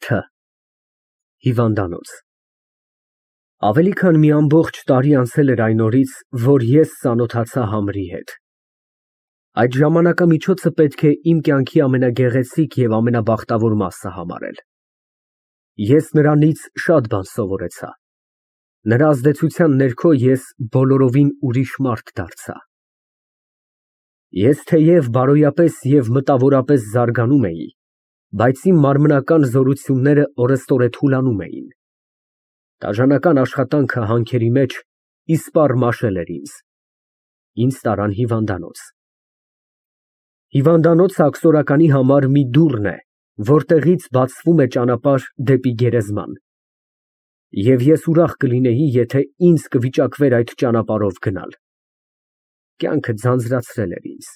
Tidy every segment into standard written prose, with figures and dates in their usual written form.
Თ Հիվանդանոց Ավելի քան մի ամբողջ տարի անցել էր այն օրից, որ ես ծանոթացա Համրի հետ։ Այդ ժամանակամիջոցը պետք է իմ կյանքի ամենագեղեցիկ և ամենաբախտավոր մասը համարել։ Ես նրանից շատ բան սովորեցա։ Նրա ազդեցության ներքո ես բոլորովին ուրիշ մարդ դարձա։ Ես թեև բարոյապես և մտավորապես զարգանում էի, բայց իմ մարմնական զորությունները օրեստօրե թուլանում էին։ Դաժանական աշխատանքը հանքերի մեջ իսպառ մաշել էր ինձ։ Ինձ տարան հիվանդանոց։ Հիվանդանոցը աքսորականի համար մի դուռն է, որտեղից բացվում է ճանապարհ դեպի գերեզման։ Եվ ես ուրախ կլինեի, եթե ինձ կվիճակվեր այդ ճանապարհով գնալ։ Կյանքը ձանձրացրել էր ինձ։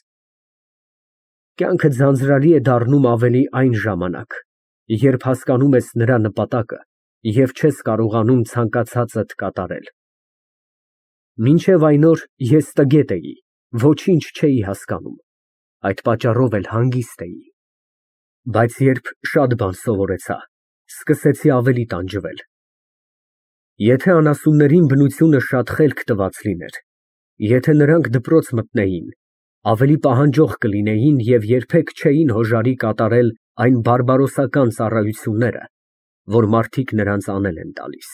Կյանքը ձանձրալի է դառնում ավելի այն ժամանակ, երբ հասկանում ես նրա նպատակը և չես կարողանում ցանկացածդ կատարել։ Մինչև այն օր ես տգետ էի, ոչինչ չէի հասկանում, այդ պատճառով էլ հանգիստ էի։ Բայց երբ շատ բան սովորեցա, սկսեցի ավելի տանջվել։ Եթե անասուններին բնությունը շատ խելք տված լիներ, եթե նրանք դպրոց մտնեին, ավելի պահանջող կլինեին և երբեք չէին հոժարի կատարել այն բարբարոսական ծառայությունները, որ մարդիկ նրանց անել են տալիս։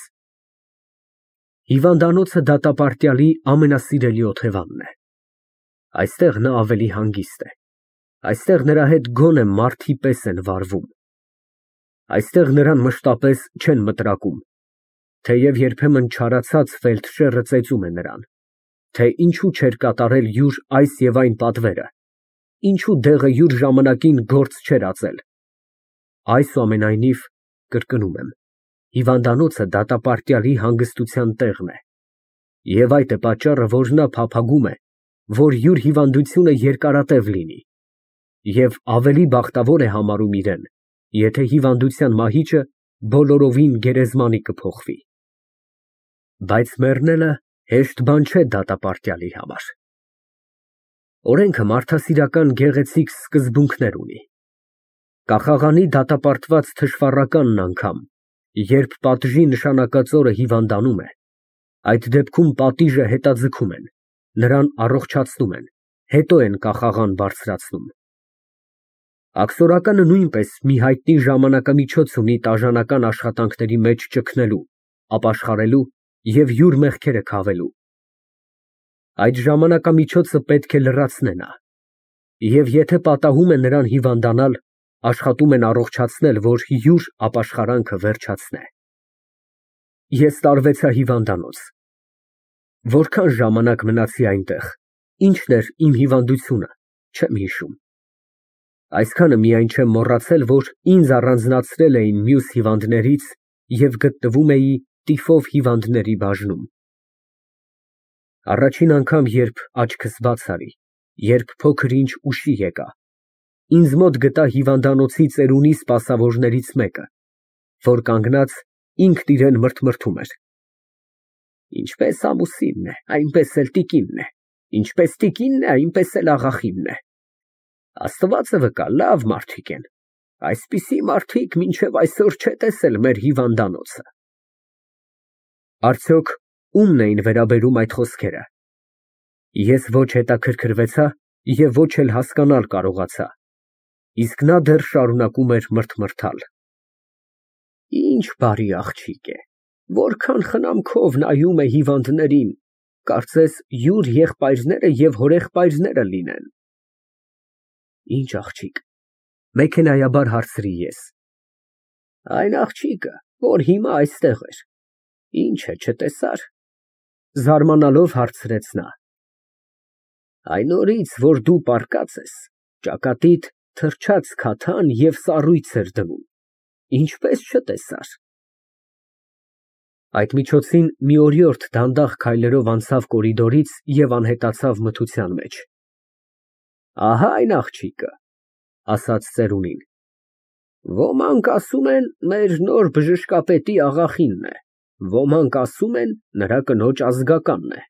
Հիվանդանոցը դատապարտյալի ամենասիրելի օթևանն է։ Այստեղ նա ավելի հանգիստ է։ Այստեղ նրա հետ գոնե մարդի պես են վարվում։ Այստեղ նրան մշտապես չեն մտրակում, թեև երբեմն չարացած ֆելդշերը ծեծում է նրան, թե ինչու չէր կատարել յուր այս և այն պատվերը, ինչու դեղը յուր ժամանակին գործ չէր ածել։ Այսուամենայնիվ, կրկնում եմ, հիվանդանոցը դատապարտյալի հանգստության տեղն է, և այդ է պատճառը, որ նա փափագում է, որ յուր հիվանդությունը երկարատև լինի, և ավելի բախտավոր է համարում իրեն, եթե հիվանդության մահիճը բոլորովին գերեզմանի կփոխվի։ Բայց մեռնելը հեշտ բան չէ դատապարտյալի համար։ Օրենքը մարդասիրական գեղեցիկ սկզբունքներ ունի։ Կախաղանի դատապարտված թշվառականն անգամ, երբ պատժի նշանակած օրը հիվանդանում է, այդ դեպքում պատիժը հետաձգում են, նրան առողջացնում են, հետո են կախաղան բարձրացնում։ Աքսորականը նույնպես մի հայտնի ժամանակամիջոց ունի տաժանական աշխատանքների մեջ ճգնելու, ապաշխարելու և յուր մեղքերը քավելու։ Այդ ժամանակամիջոցը պետք է լրացնե նա, և եթե պատահում է նրան հիվանդանալ, աշխատում են առողջացնել, որ յուր ապաշխարանքը վերջացնե։ Ես տարվեցա հիվանդանոց։ Որքան ժամանակ մնացի այնտեղ, ինչն էր իմ հիվանդությունը, չեմ հիշում։ Այսքանը միայն չեմ մոռացել, որ ինձ առանձնացրել էին մյուս հիվանդներից և գտնվում էի տիֆով հիվանդների բաժնում։ Առաջին անգամ, երբ աչքս բաց արի, երբ փոքր-ինչ ուշի եկա, ինձ մոտ գտա հիվանդանոցի ծերունի սպասավորներից մեկը, որ կանգնած ինքն իրան մրթմրթում էր. Ինչպես ամուսինն է, այնպես էլ տիկինն է, ինչպես տիկինն է, այնպես էլ աղախինն է։ Աստվածը վկա, լավ մարդիկ են, այսպիսի մարդիկ մինչև այսօր չէ տեսել մեր հիվանդանոցը։ Արդյոք ումն էին վերաբերում այդ խոսքերը։ Ես ոչ հետաքրքրվեցա և ոչ էլ հասկանալ կարողացա, իսկ նա դեռ շարունակում էր մրթմրթալ։ Ինչ բարի աղջիկ է, որքան խնամքով նայում է հիվանդներին, կարծես յուր եղբայրները և հորեղբայրները լինեն։ Ինչ աղջիկ, մեքենայաբար հարցրի ես։ Այն աղջիկը, որ հիմա այստեղ էր, ինչ է, չտեսա՞ր, զարմանալով հարցրեց նա։ Այն օրից, որ դու պառկած ես, ճակատիդ թրջաց քաթան և սառույց էր դնում, ինչպես չտեսար։ Այդ միջոցին մի օրիորդ դանդաղ քայլերով անցավ կորիդորից և անհետացավ մթության մեջ։ Ահա այն աղջիկը, ասաց ծերունին։ Ոմանք ասում են մեր նոր բժշկապետի աղախինն է, ոմանք ասում են նրա կնոջ ազգականն է։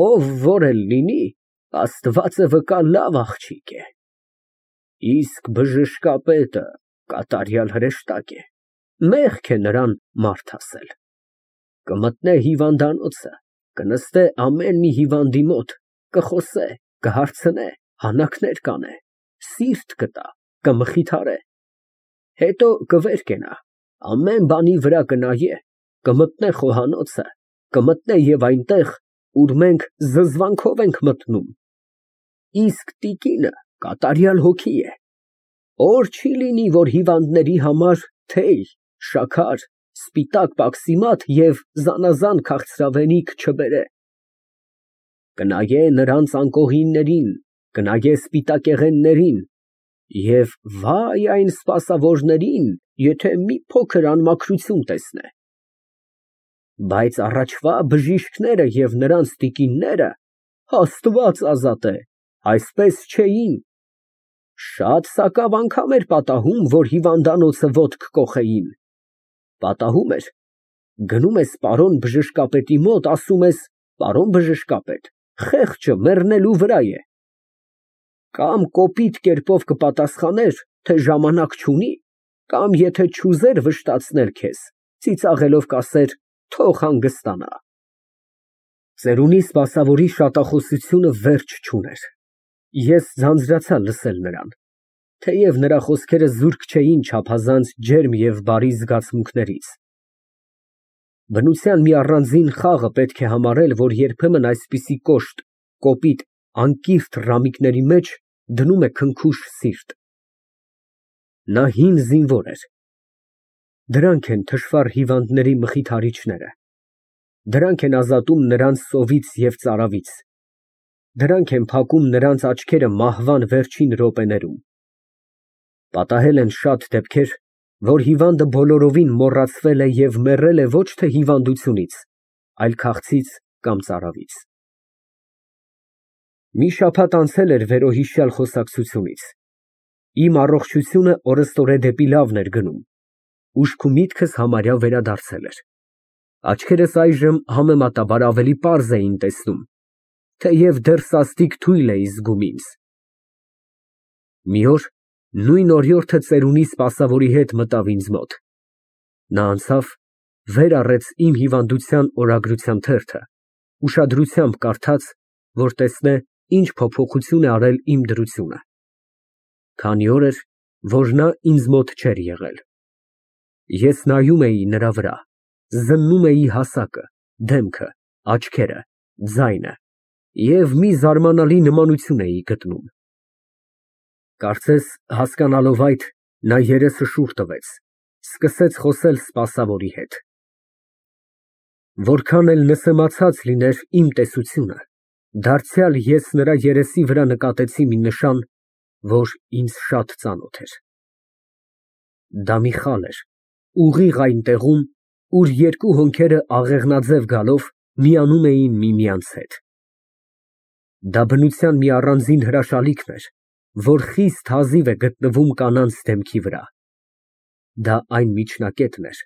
Ով որ էլ լինի, Աստվածը վկա, լավ աղջիկ է։ Իսկ բժշկապետը կատարյալ հրեշտակ է։ Մեղք է նրան մարդ ասել։ Կմտնե հիվանդանոցը, կնստե ամեն մի հիվանդի մոտ, կխոսե, կհարցնե, հանակներ կանե, սիրտ կտա, կմխիթարե, հետո կվեր կենա, ամեն բանի վրա կնայե, կմտնե խոհանոցը, կմտնե և այնտեղ, ուր մենք զզվանքով ենք մտնում։ Իսկ տիկինը կատարյալ հոգի է, օր չի լինի, որ հիվանդների համար թեյ, շաքար, սպիտակ պաքսիմատ և զանազան քաղցրավենիք չբերե։ Կնայե նրանց անկողիններին, կնայե սպիտակեղեններին և վայ այն սպասավորներին, եթե մի փոքր անմաքրություն տեսնե։ Բայց առաջվա բժիշկները և նրանց տիկինները, Աստված ազատե, այսպես չէին։ Շատ սակավ անգամ էր պատահում, որ հիվանդանոցը ոտք կոխեին։ Պատահում էր, գնում ես պարոն բժշկապետի մոտ, ասում ես. «Պարոն բժշկապետ, խեղճը մեռնելու վրա է»։ Կամ կոպիտ կերպով կպատասխաներ, թե ժամանակ չունի, կամ եթե չուզեր վշտացնել քեզ, ծիծաղելով կասեր. «Թող հանգստանա»։ Ծերունի սպասավորի շատախոսությունը վերջ չուներ։ Ես ձանձրացա լսել նրան, թեև նրա խոսքերը զուրկ չէին չափազանց ջերմ և բարի զգացմունքներից։ Բնության մի առանձին խաղը պետք է համարել, որ երբեմն այսպիսի կոշտ, կոպիտ, անկիրթ ռամիկների մեջ դնում է քնքուշ սիրտ։ Նա հին զինվոր էր։ Դրանք են թշվառ հիվանդների մխիթարիչները։ Դրանք են ազատում նրանց սովից և ծարավից։ Դրանք են փակում նրանց աչքերը մահվան վերջին րոպեներում։ Պատահել են շատ դեպքեր, որ հիվանդը բոլորովին մոռացվել է և մեռել է ոչ թե հիվանդությունից, այլ քաղցից կամ ծարավից։ Մի շաբաթ անցել էր վերոհիշյալ խոսակցությունից։ Իմ առողջությունը օրըստօրե դեպի լավն էր գնում, ուշք ու միտքս համարյա վերադարձել էր։ Աչքերս այժմ համեմատաբար ավելի պարզ էին տեսնում, թեև դեռ սաստիկ թույլ էի զգում ինձ։ Մի օր նույն օրիորդը ծերունի սպասավորի հետ մտավ ինձ մոտ։ Նա անցավ, վեր առեց իմ հիվանդության օրագրության թերթը, ուշադրությամբ կարդաց, որ տեսնե ինչ փոփոխություն է արել իմ դրությունը։ Քանի օր էր, որ նա ինձ մոտ չէր եղել։ Ես նայում էի նրա վրա, զննում էի հասակը, դեմքը, աչքերը, ձայնը և մի զարմանալի նմանություն էի գտնում։ Կարծես հասկանալով այդ, նա երեսը շուռ տվեց, սկսեց խոսել սպասավորի հետ։ Որքան էլ նսեմացած լիներ իմ տեսությունը, դարձյալ ես նրա երեսի վրա նկատեցի մի նշան, որ ինձ շատ ծանոթ էր։ Դա մի խալ էր, ուղիղ այն տեղում, ուր երկու հոնքերը աղեղնաձև գալով միանում էին միմյանց հետ։ Դա բնության մի առանձին հրաշալիքն էր, որ խիստ հազիվ է գտնվում կանանց դեմքի վրա։ Դա այն միջնակետն էր,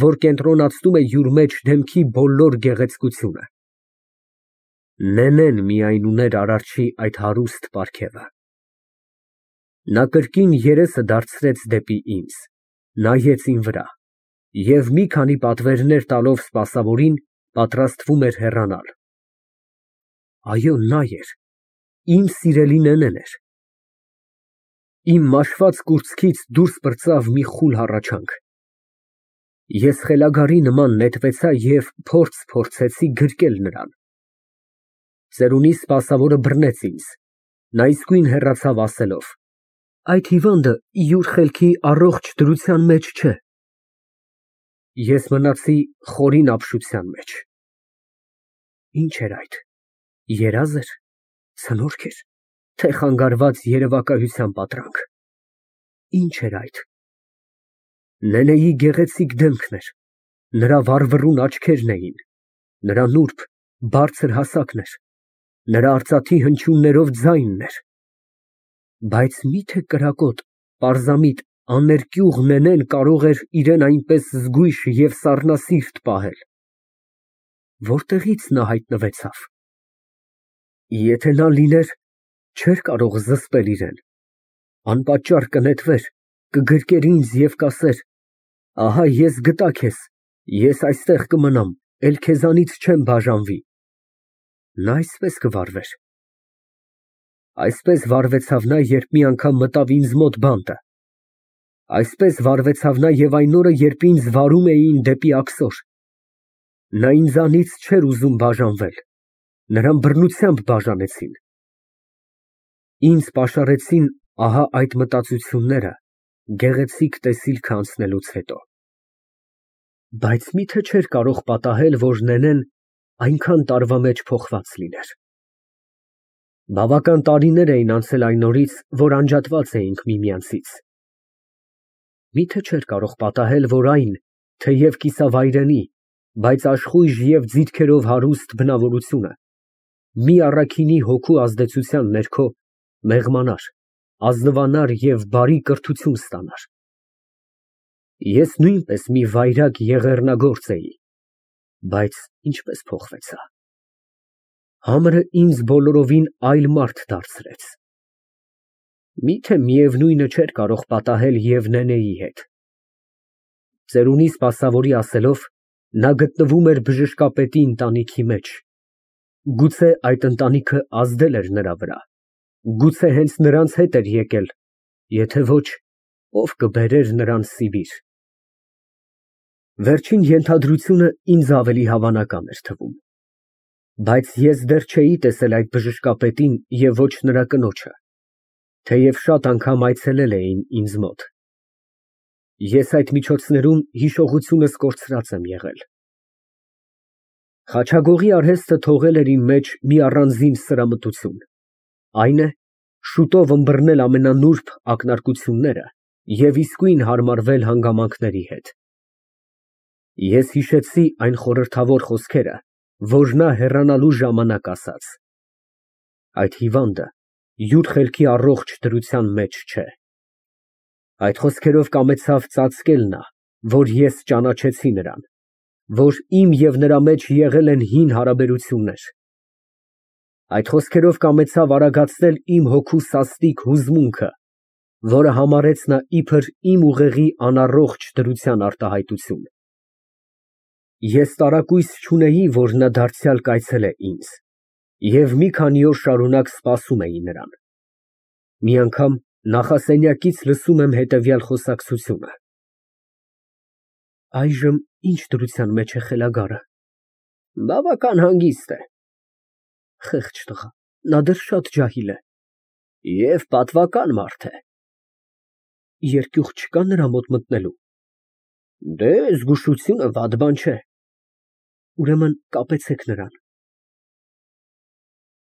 որ կենտրոնացնում է յուր մեջ դեմքի բոլոր գեղեցկությունը։ Նենեն միայն ուներ Արարչի այդ հարուստ պարգևը։ Նա կրկին երեսը դարձրեց դեպի ինձ, նայեց իմ վրա և մի քանի պատվերներ տալով սպասավորին, պատրաստվում էր հեռանալ։ Այո, նա էր, իմ սիրելի Նենեն էր։ Իմ մաշված կուրծքից դուրս պրծավ մի խուլ հառաչանք։ Ես խելագարի նման նետվեցա և փորձեցի գրկել նրան։ Ծերունի սպասավորը բռնեց ինձ, նա իսկույն հեռացավ ասելով. «Այդ հիվանդը յուր խելքի առողջ դրության մեջ չէ»։ Ես մնացի խորին ապշության մեջ։ Ինչ էր այդ, երազ էր, ցնորք էր, թե խանգարված երևակայության պատրանք։ Ինչ էր այդ։ Նենեի գեղեցիկ դեմքն էր, նրա վառվռուն աչքերն էին, նրա նուրբ, բարձր հասակն էր, նրա արծաթի հնչյուններով ձայնն էր։ Բայց մի՞թե կրակոտ, պարզամիտ, աներկյուղ Նենեն կարող էր իրեն այնպես զգույշ և սառնասիրտ պահել։ Որտեղի՞ց նա հայտնվեցավ։ Եթե նա լիներ, չէր կարող զսպել իրեն, անպատճառ կնետվեր, կգրկեր ինձ և կասեր. Ահա ես գտա քեզ, ես այստեղ կմնամ, էլ քեզանից չեմ բաժանվի։ Նա այսպես կվարվեր։ Այսպես վարվեցավ նա, երբ մի անգամ մտավ ինձ մոտ բանտը։ Այսպես վարվեցավ նա և այն օրը, երբ ինձ վարում էին դեպի աքսոր։ Նա ինձանից չէր ուզում բաժանվել, նրան բռնությամբ բաժանեցին։ Ինձ պաշարեցին ահա այդ մտածությունները գեղեցիկ տեսիլքը անցնելուց հետո։ Բայց մի՞թե չէր կարող պատահել, որ նենեն այնքան տարվա մեջ փոխված լիներ։ Բավական տարիներ էին անցել այն օրից, որ անջատված էինք միմյանցից։ Մի՞թե չէր կարող պատահել, որ այն, թեև կիսավայրենի, բայց աշխույժ և ձիթքերով հարուստ բնավորությունը մի առաքինի հոգու ազդեցության ներքո մեղմանար, ազնվանար և բարի կրթություն ստանար։ Ես նույնպես մի վայրագ եղեռնագործ էի, բայց ինչպես փոխվեցա։ Համրը ինձ բոլորովին այլ մարդ դարձրեց։ Միթե միևնույնը չէր կարող պատահել և նենեի հետ։ Ծերունի սպասավորի ասելով, նա գտնվում էր բժշկապետի ընտանիքի մեջ։ Գուցե այդ ընտանիքը ազդել էր նրա վրա, գուցե հենց նրանց հետ էր եկել, եթե ոչ, ով կբերեր նրան Սիբիր։ Վերջին ենթադրությունը ինձ ավելի հավանական էր թվում։ Բայց ես դեռ չէի տեսել այդ բժշկապետին և ոչ նրա կնոջը, թեև շատ անգամ այցելել էին ինձ մոտ։ Ես այդ միջոցներում հիշողությունս կորցրած եմ եղել։ Խաչագողի արհեստը թողել էր իմ մեջ մի առանձին սրամտություն, այն է, շուտով ըմբռնել ամենանուրբ ակնարկությունները և իսկույն հարմարվել հանգամանքների հետ։ Ես հիշեցի այն խորհրդավոր խոսքերը, որ նա հեռանալու ժամանակ ասաց. այդ հիվանդը յուր խելքի առողջ դրության մեջ չէ։ Այդ խոսքերով կամեցավ ծածկել նա, որ ես ճանաչեցի նրան, որ իմ և նրա մեջ եղել են հին հարաբերություններ։ Այդ խոսքերով կամեցավ արագացնել իմ հոգու սաստիկ հուզմունքը, որը համարեց նա իբր իմ ուղեղի անառողջ դրության արտահայտություն։ Ես տարակույս չունեի, որ նա դարձյալ կայցելե ինձ, և մի քանի օր շարունակ սպասում էի նրան։ Մի անգամ նախասենյակից լսում եմ հետևյալ խոսակցությունը. «Այժմ ի՞նչ դրության մեջ է խելագարը»։ «Բավական հանգիստ է»։ «Խեղճ տղա, նա դեռ շատ ջահիլ է»։ «Եվ պատվական մարդ է»։ «Երկյուղ չկա նրա մոտ մտնելու»։ «Դե, զգուշությունը վատ բան չէ»։ «Ուրեմն կապեցեք նրան»։